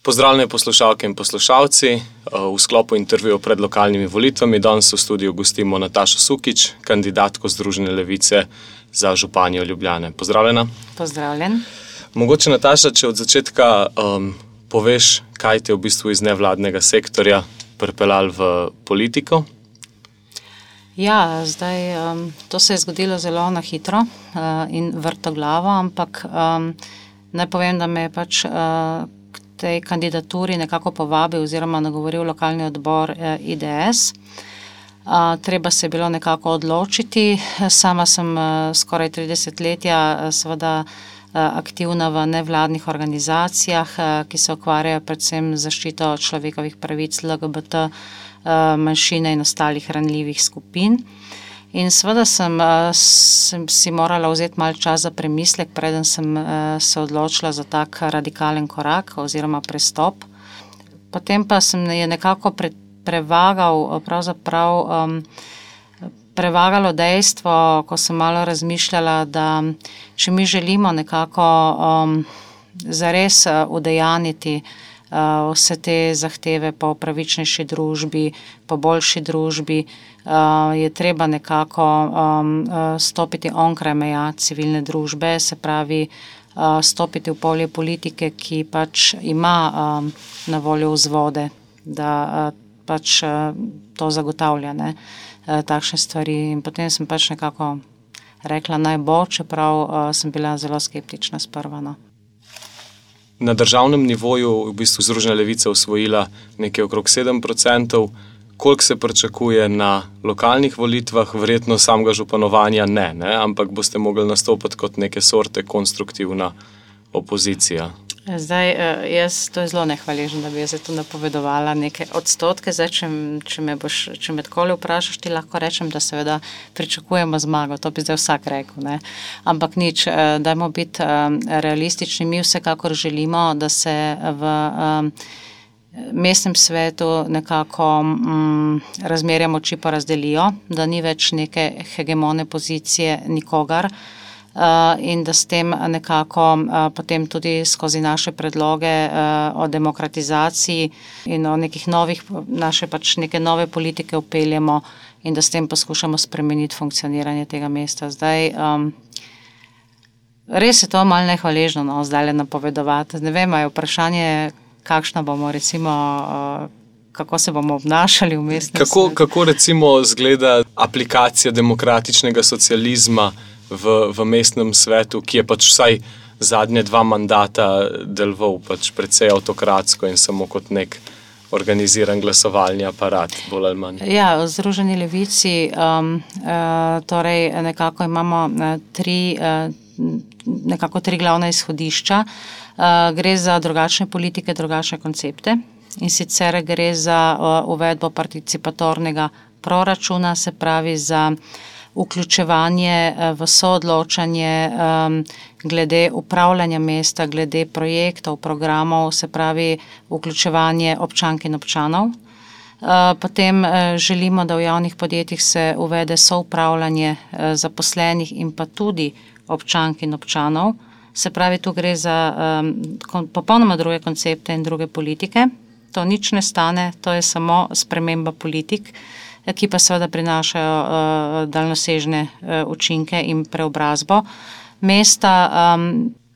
Pozdravljeni poslušalke in poslušalci. V sklopu intervjuja pred lokalnimi volitvami danes v studiu gostimo Natašo Sukič, kandidatko Združene levice za županjo Ljubljane. Pozdravljena. Pozdravljen. Mogoče, Nataša, če od začetka poveš, kaj te v bistvu iz nevladnega sektorja pripeljalo v politiko? Ja, zdaj to se je zgodilo zelo na hitro in vrtoglavo, ampak naj povem, da me je pač tej kandidaturi nekako povabil oziroma nagovoril lokalni odbor IDS. Treba se je bilo nekako odločiti. Sama sem skoraj 30 letja seveda aktivna v nevladnih organizacijah, ki se ukvarjajo predvsem z zaščito človekovih pravic LGBT manjšine in ostalih ranljivih skupin. In seveda sem si morala vzeti malo čas za premislek, preden sem se odločila za tak radikalen korak oziroma prestop. Potem pa sem je nekako prevagalo dejstvo, ko sem malo razmišljala, da če mi želimo nekako zares udejaniti vse te zahteve po pravičnejši družbi, po boljši družbi, je treba nekako stopiti onkraj meja civilne družbe, se pravi stopiti v polje politike, ki pač ima na voljo vzvode, da pač to zagotavlja, ne, takšne stvari. In potem sem pač nekako rekla naj bo, čeprav sem bila zelo skeptična sprva, no. Na državnem nivoju v bistvu Združena levica osvojila nekaj okrog 7%. Koliko se pričakuje na lokalnih volitvah? Verjetno samega županovanja ne, ampak boste mogli nastopiti kot neke sorte konstruktivna opozicija. Zdaj, to je zelo nehvaležno, da bi jaz tu napovedovala neke odstotke. Zdaj, če me takole vprašaš, ti lahko rečem, da seveda pričakujemo zmago. To bi zdaj vsak rekel, ne. Ampak nič, dajmo biti realistični. Mi vsekakor želimo, da se v mestnem svetu nekako razmerja moči porazdelijo, da ni več neke hegemone pozicije nikogar, in da s tem nekako potem tudi skozi naše predloge o demokratizaciji in o nekih neke nove politike vpeljemo in da s tem poskušamo spremeniti funkcioniranje tega mesta. Zdaj, res je to malo nehvaležno, no, zdajle napovedovati. Ne vem, je vprašanje, kakšna bomo recimo, kako se bomo obnašali v mestnem svetu. Kako recimo izgleda aplikacija demokratičnega socializma v mestnem svetu, ki je pač vsaj zadnje 2 mandata deloval pač precej avtokratsko in samo kot nek organiziran glasovalni aparat, bolj ali manj. Ja, v Združeni levici torej nekako imamo 3 glavna izhodišča. Gre za drugačne politike, drugačne koncepte, in sicer gre za uvedbo participatornega proračuna, se pravi za vključevanje v soodločanje glede upravljanja mesta, glede projektov, programov, se pravi vključevanje občank in občanov. Potem želimo, da v javnih podjetjih se uvede soupravljanje zaposlenih in pa tudi občank in občanov. Se pravi, tu gre za popolnoma druge koncepte in druge politike. To nič ne stane, to je samo sprememba politik, ki pa seveda prinašajo daljnosežne učinke in preobrazbo mesta.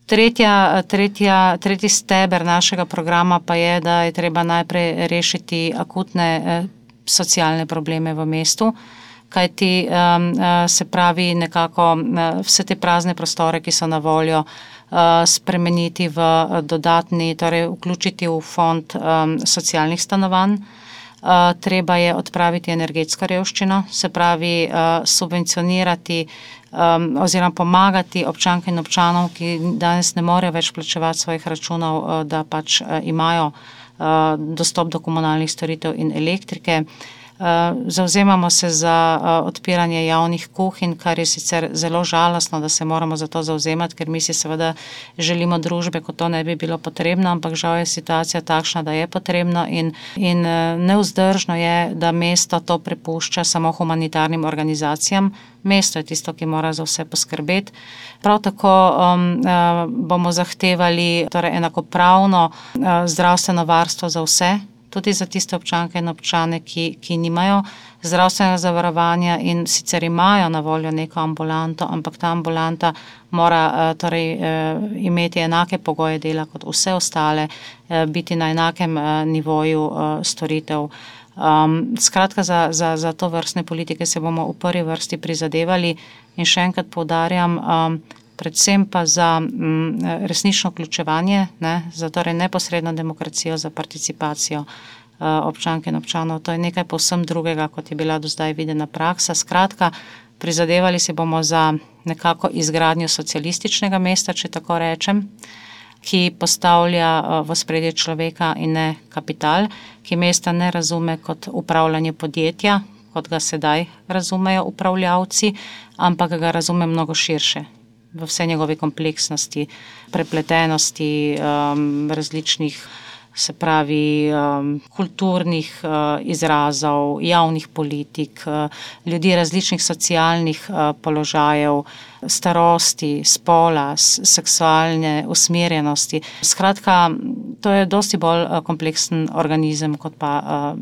Tretji steber našega programa pa je, da je treba najprej rešiti akutne socialne probleme v mestu, kajti se pravi nekako vse te prazne prostore, ki so na voljo, spremeniti v dodatni, torej vključiti v fond socialnih stanovanj. Treba je odpraviti energetsko revščino, se pravi subvencionirati oziroma pomagati občanke in občanom, ki danes ne morejo več plačevati svojih računov, da pač imajo dostop do komunalnih storitev in elektrike. Zavzemamo se za odpiranje javnih kuhinj, kar je sicer zelo žalostno, da se moramo za to zavzemati, ker mi si seveda želimo družbe, ko to ne bi bilo potrebno, ampak žal je situacija takšna, da je potrebno in nevzdržno je, da mesto to prepušča samo humanitarnim organizacijam. Mesto je tisto, ki mora za vse poskrbeti. Prav tako bomo zahtevali torej enakopravno zdravstveno varstvo za vse, tudi za tiste občanke in občane, ki nimajo zdravstvenega zavarovanja in sicer imajo na voljo neko ambulanto, ampak ta ambulanta mora torej imeti enake pogoje dela kot vse ostale, biti na enakem nivoju storitev. Skratka, za to vrstne politike se bomo v prvi vrsti prizadevali in še enkrat poudarjam, predvsem pa za resnično vključevanje, za torej neposredno demokracijo, za participacijo občank in občanov. To je nekaj povsem drugega, kot je bila do zdaj videna praksa. Skratka, prizadevali se bomo za nekako izgradnjo socialističnega mesta, če tako rečem, ki postavlja v ospredje človeka in ne kapital, ki mesta ne razume kot upravljanje podjetja, kot ga sedaj razumejo upravljavci, ampak ga razume mnogo širše, v vse njegove kompleksnosti, prepletenosti, različnih, se pravi, kulturnih izrazov, javnih politik, ljudi različnih socialnih položajev, starosti, spola, seksualne usmerjenosti. Skratka, to je dosti bolj kompleksen organizem, kot pa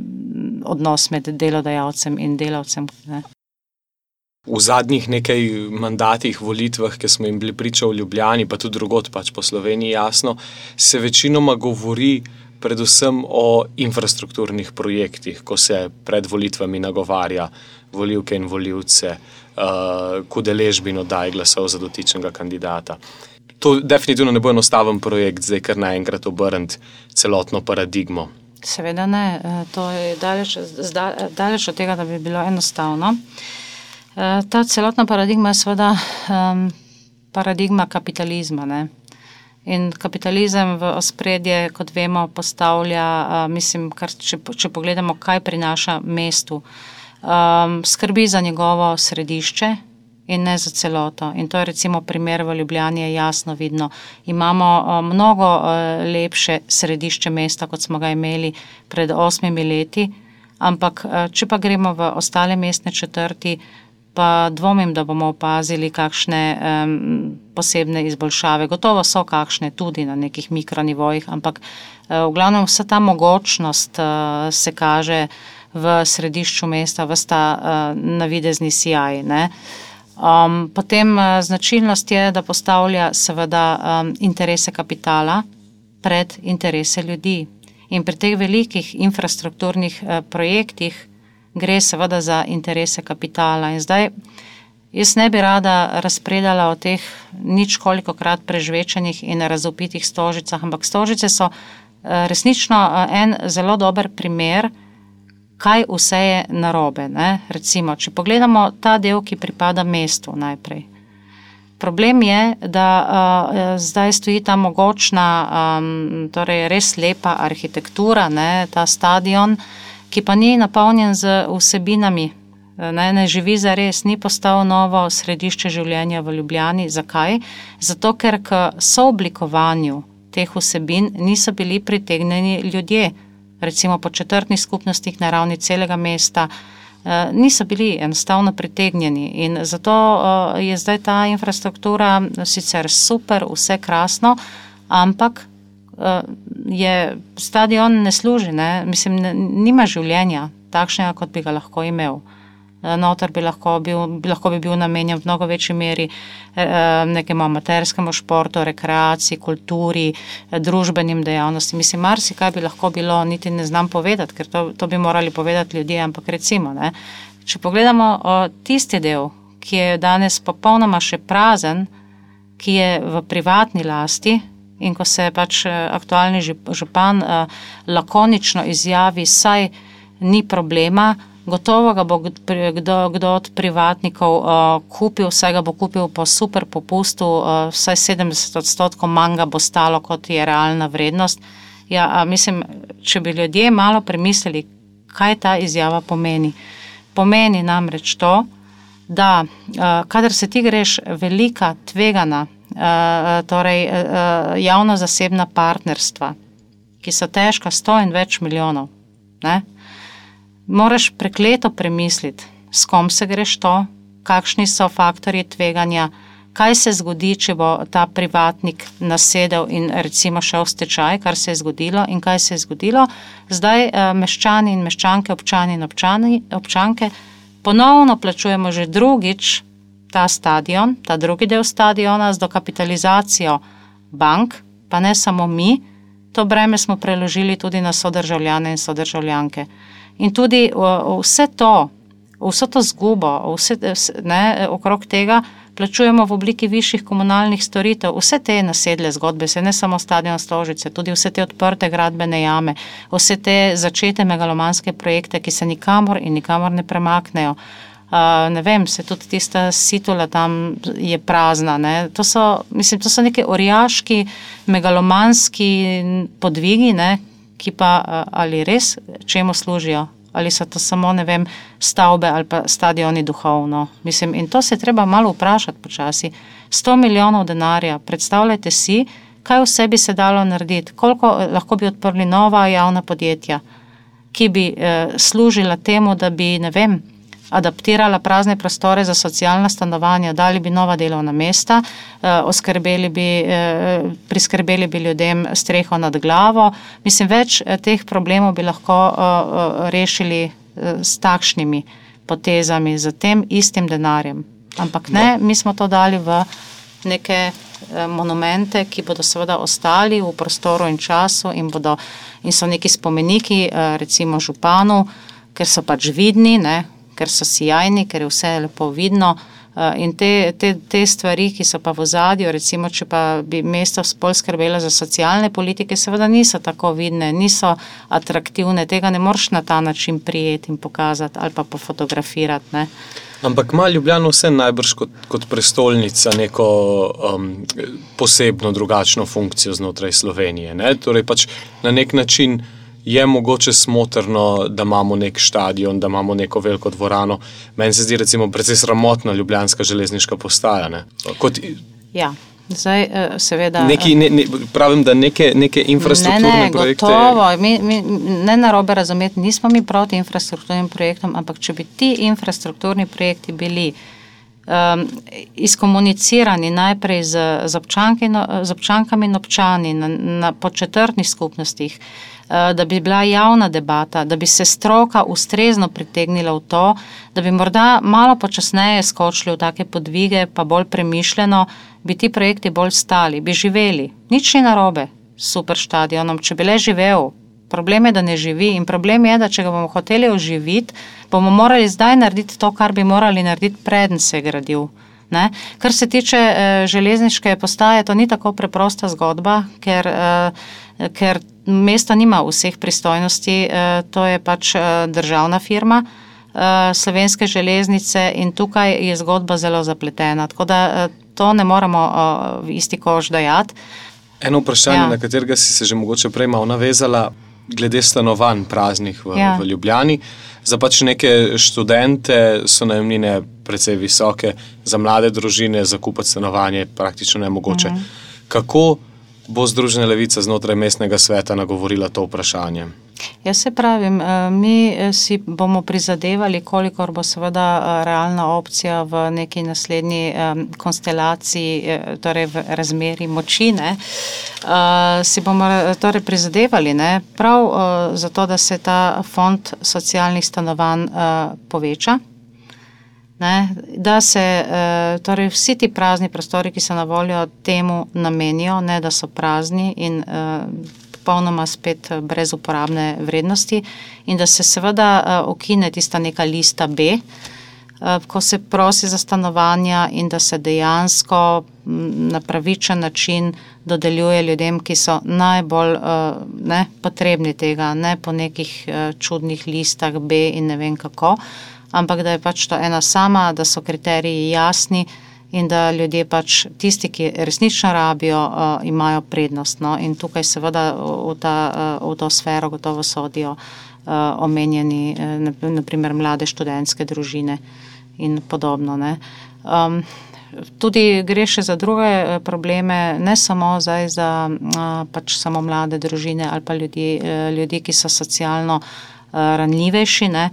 odnos med delodajalcem in delavcem. V zadnjih nekaj mandatih, volitvah, ki smo jim bili priča v Ljubljani, pa tudi drugod pač po Sloveniji, jasno, se večinoma govori predvsem o infrastrukturnih projektih, ko se pred volitvami nagovarja volivke in volivce k udeležbi in oddaji glasov za dotičnega kandidata. To definitivno ne bo enostaven projekt, zdaj kar naenkrat obrniti celotno paradigmo. Seveda ne, to je daleč od tega, da bi bilo enostavno. Ta celotna paradigma je seveda paradigma kapitalizma, ne? In kapitalizem v ospredje, kot vemo, postavlja, če pogledamo, kaj prinaša mestu, skrbi za njegovo središče in ne za celoto. In to je recimo primer v Ljubljani, je jasno vidno. Imamo mnogo lepše središče mesta, kot smo ga imeli pred 8 leti, ampak če pa gremo v ostale mestne četrti, pa dvomim, da bomo opazili kakšne posebne izboljšave. Gotovo so kakšne tudi na nekih mikronivojih, ampak v glavnem vsa ta mogočnost se kaže v središču mesta, ves ta navidezni sijaj, ne. Potem značilnost je, da postavlja seveda interese kapitala pred interese ljudi. In pri teh velikih infrastrukturnih projektih gre seveda za interese kapitala. In zdaj, jaz ne bi rada razpredala o teh ničkolikokrat prežvečenih in razvpitih Stožicah, ampak Stožice so resnično en zelo dober primer, kaj vse je narobe, ne? Recimo, če pogledamo ta del, ki pripada mestu najprej. Problem je, da zdaj stoji ta mogočna, torej res lepa arhitektura, ne? Ta stadion, ki pa ni napolnjen z vsebinami, ne živi zares, ni postal novo središče življenja v Ljubljani. Zakaj? Zato, ker k sooblikovanju teh vsebin niso bili pritegnjeni ljudje. Recimo po četrtnih skupnostih na ravni celega mesta niso bili enostavno pritegnjeni. In zato je zdaj ta infrastruktura sicer super, vse krasno, ampak je stadion ne služi, ne? Mislim, nima življenja takšnega, kot bi ga lahko imel. Noter bi lahko bil namenjen v mnogo večji meri nekemu amaterskemu športu, rekreaciji, kulturi, družbenim dejavnostim. Mislim, marsikaj bi lahko bilo, niti ne znam povedati, ker to bi morali povedati ljudje, ampak recimo, ne, če pogledamo tisti del, ki je danes popolnoma še prazen, ki je v privatni lasti, in ko se pač aktualni župan lakonično izjavi, saj ni problema, gotovo ga bo kdo od privatnikov kupil, saj ga bo kupil po super popustu, vsaj 70% manj ga bo stalo, kot je realna vrednost. Ja, mislim, če bi ljudje malo premislili, Kaj ta izjava pomeni? Pomeni namreč to, da kadar se ti greš velika tvegana, torej javno-zasebna partnerstva, ki so težka 100 in več milijonov, ne, moraš prekleto premisliti, s kom se greš to, kakšni so faktorji tveganja, kaj se zgodi, če bo ta privatnik nasedel in recimo šel v stečaj, kar se je zgodilo in kaj se je zgodilo. Zdaj meščani in meščanke, občani in občanke ponovno plačujemo že drugič ta stadion, ta drugi del stadiona z dokapitalizacijo bank, pa ne samo mi, to breme smo preložili tudi na sodržavljane in sodržavljanke. In tudi vse to, vso to zgubo, okrog tega plačujemo v obliki višjih komunalnih storitev, vse te nasedle zgodbe, se ne samo stadion Stožice, tudi vse te odprte gradbene jame, vse te začete megalomanske projekte, ki se nikamor in nikamor ne premaknejo. Ne vem, se tudi tista Situla tam je prazna, ne. To so neke orjaški, megalomanski podvigi, ne, ki pa ali res čemu služijo, ali so to samo, ne vem, stavbe ali pa stadioni duhovno. In to se treba malo vprašati počasi. 100 milijonov denarja, predstavljajte si, kaj vse bi se dalo narediti, koliko lahko bi odprli nova javna podjetja, ki bi služila temu, da bi, ne vem, adaptirala prazne prostore za socialna stanovanja, dali bi nova delovna mesta, priskrbeli bi ljudem streho nad glavo. Več teh problemov bi lahko rešili s takšnimi potezami, z tem istim denarjem. Ampak ne, mi smo to dali v neke monumente, ki bodo seveda ostali v prostoru in času in so neki spomeniki, recimo županu, ker so pač vidni, ne, ker so sijajni, ker je vse lepo vidno, in te stvari, ki so pa v ozadju, recimo, če pa bi mesto bolj skrbelo za socialne politike, seveda niso tako vidne, niso atraktivne, tega ne moreš na ta način prijeti in pokazati ali pa pofotografirati, ne. Ampak ima Ljubljana vse najbrž kot prestolnica neko posebno drugačno funkcijo znotraj Slovenije, ne? Torej pač na nek način je mogoče smotrno, da imamo nek štadion, da imamo neko veliko dvorano. Meni se zdi recimo precej sramotna ljubljanska železniška postaja, ne? Ja, zdaj seveda... Pravim, da neke infrastrukturne projekte... Gotovo, ne narobe razumeti, nismo mi proti infrastrukturnim projektom, ampak če bi ti infrastrukturni projekti bili izkomunicirani najprej z občankami in občani po četrtnih skupnostih, da bi bila javna debata, da bi se stroka ustrezno pritegnila v to, da bi morda malo počasneje skočili v take podvige, pa bolj premišljeno, bi ti projekti bolj stali, bi živeli. Nič ni narobe s super štadionom, če bi le živel. Problem je, da ne živi in problem je, da če ga bomo hoteli oživiti, bomo morali zdaj narediti to, kar bi morali narediti, preden se je gradil. Ne? Kar se tiče železniške postaje, to ni tako preprosta zgodba, ker mesto nima vseh pristojnosti, to je pač državna firma, Slovenske železnice, in tukaj je zgodba zelo zapletena, tako da to ne moremo v isti koš dajati. Eno vprašanje, na katerega si se že mogoče prej malo navezala, glede stanovanj praznih v Ljubljani. Za pač neke študente so najemnine precej visoke, za mlade družine zakupiti stanovanje praktično nemogoče. Kako bo Združena levica znotraj mestnega sveta nagovorila to vprašanje? Jaz se pravim, mi si bomo prizadevali, kolikor bo seveda realna opcija v neki naslednji konstelaciji, torej v razmeri moči, ne, si bomo torej prizadevali, ne, prav zato, da se ta fond socialnih stanovanj poveča, ne, da se torej vsi ti prazni prostori, ki so na voljo, temu namenijo, ne da so prazni in popolnoma spet brez uporabne vrednosti, in da se seveda ukine tista neka lista B, ko se prosi za stanovanja, in da se dejansko na pravičen način dodeljuje ljudem, ki so najbolj potrebni tega, ne po nekih čudnih listah B in ne vem kako, ampak da je pač to ena sama, da so kriteriji jasni in da ljudje pač tisti, ki resnično rabijo, imajo prednost. No? In tukaj seveda v to sfero gotovo sodijo omenjeni, naprimer mlade študentske družine in podobno. Ne? Tudi gre še za druge probleme, ne samo zdaj za pač samo mlade družine ali pa ljudi, ki so socialno ranljivejši. Ne?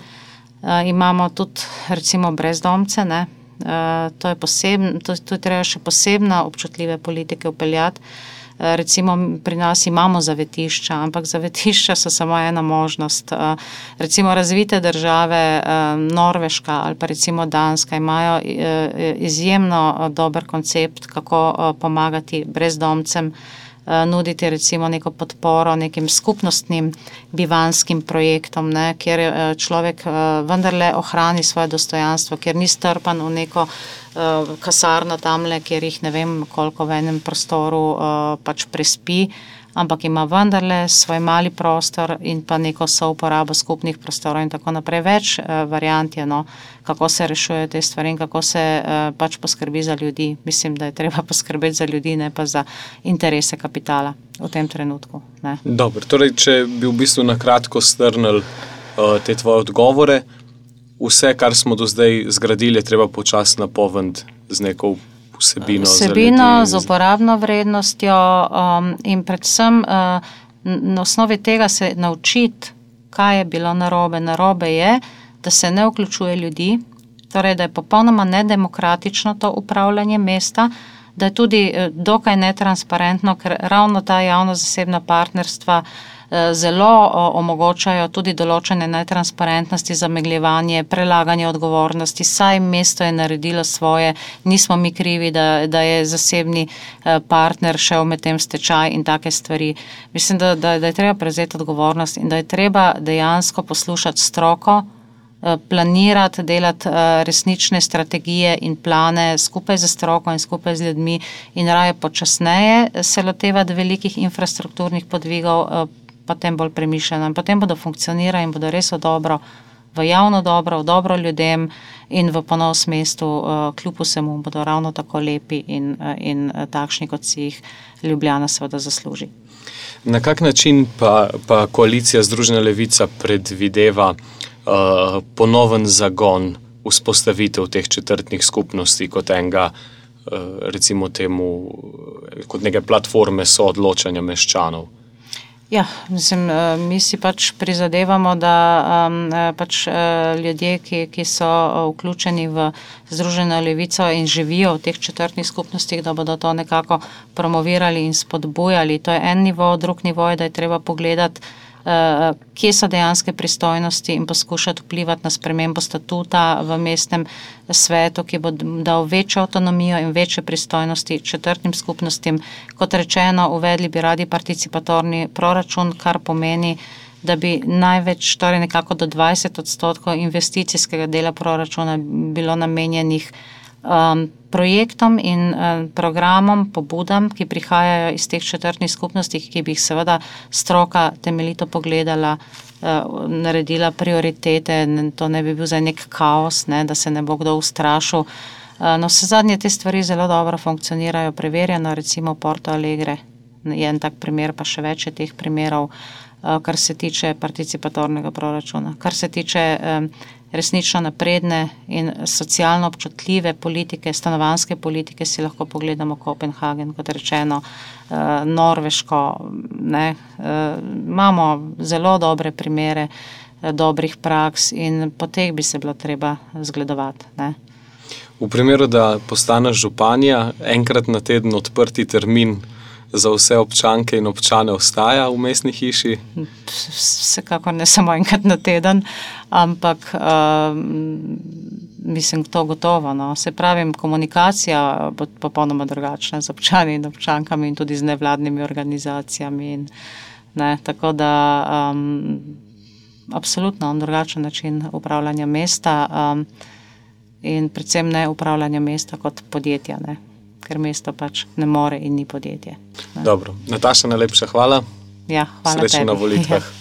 Imamo tudi recimo brezdomce, ne? To je treba še posebno občutljive politike vpeljati. Recimo pri nas imamo zavetišča, ampak zavetišča so samo ena možnost. Recimo razvite države, Norveška ali pa recimo Danska, imajo izjemno dober koncept, kako pomagati brezdomcem, nuditi recimo neko podporo nekim skupnostnim bivanskim projektom, ne, kjer človek vendarle ohrani svoje dostojanstvo, kjer ni strpan v neko kasarno tamle, kjer jih ne vem koliko v enem prostoru pač prespi, ampak ima vendarle svoj mali prostor in pa neko souporabo skupnih prostorov in tako naprej. Več variant je, no, kako se rešujejo te stvari in kako se pač poskrbi za ljudi. Mislim, da je treba poskrbeti za ljudi, ne pa za interese kapitala v tem trenutku. Ne. Dobro, torej, če bi v bistvu na kratko strnili te tvoje odgovore, vse, kar smo do zdaj zgradili, je treba počasi napolniti z neko vsebino z uporabno vrednostjo in predvsem na osnovi tega se naučiti, kaj je bilo narobe. Narobe je, da se ne vključuje ljudi, torej da je popolnoma nedemokratično to upravljanje mesta, da je tudi dokaj netransparentno, ker ravno ta javno-zasebna partnerstva zelo omogočajo tudi določene netransparentnosti, zamegljevanje, prelaganje odgovornosti, saj mesto je naredilo svoje, nismo mi krivi, da je zasebni partner šel med tem stečaj in take stvari. Mislim, da je treba prevzeti odgovornost in da je treba dejansko poslušati stroko, planirati, delati resnične strategije in plane skupaj z stroko in skupaj z ljudmi in raje počasneje se lotevati velikih infrastrukturnih podvigov, potem bolj premišljeno in potem bodo funkcionirali in bodo res v javno dobro, v dobro ljudem in v ponos mestu, kljub vsemu bodo ravno tako lepi in takšni, kot si jih Ljubljana seveda zasluži. Na kak način pa koalicija Združena levica predvideva ponoven zagon vzpostavitev teh četrtnih skupnosti kot enega, recimo temu, kot neke platforme soodločanja meščanov? Ja, mislim, mi si pač prizadevamo, da pač ljudje, ki so vključeni v Združeno levico in živijo v teh četrtnih skupnostih, da bodo to nekako promovirali in spodbujali. To je en nivo, drug nivo je, da je treba pogledati, kje so dejanske pristojnosti in poskušati vplivati na spremembo statuta v mestnem svetu, ki bo dal večjo avtonomijo in večje pristojnosti četrtnim skupnostim. Kot rečeno, uvedli bi radi participatorni proračun, kar pomeni, da bi največ, torej nekako do 20% investicijskega dela proračuna bilo namenjenih projektom in programom, pobudam, ki prihajajo iz teh četrtnih skupnosti, ki bi jih seveda stroka temeljito pogledala, naredila prioritete, to ne bi bil zdaj nek kaos, ne, da se ne bo kdo ustrašil. No, vse zadnje te stvari zelo dobro funkcionirajo, preverjeno, recimo Porto Alegre je en tak primer, pa še več je teh primerov, kar se tiče participatornega proračuna. Kar se tiče resnično napredne in socialno občutljive politike, stanovanjske politike, si lahko pogledamo Kopenhagen, kot rečeno, Norveško. Ne, imamo zelo dobre primere dobrih praks in po teh bi se bilo treba zgledovati. Ne. V primeru, da postaneš županja, enkrat na teden odprti termin za vse občanke in občane ostaja v mestni hiši? Vsekakor ne samo enkrat na teden, ampak mislim, to gotovo. No. Se pravim, komunikacija bo popolnoma drugačna z občani in občankami in tudi z nevladnimi organizacijami. In, ne, tako da absolutno drugačen način upravljanja mesta in predvsem ne upravljanja mesta kot podjetja, ne. Ker mesto pač ne more in ni podjetje. Ne. Dobro. Nataša, najlepša hvala. Ja, hvala tebi. Srečno na volitvah. Ja.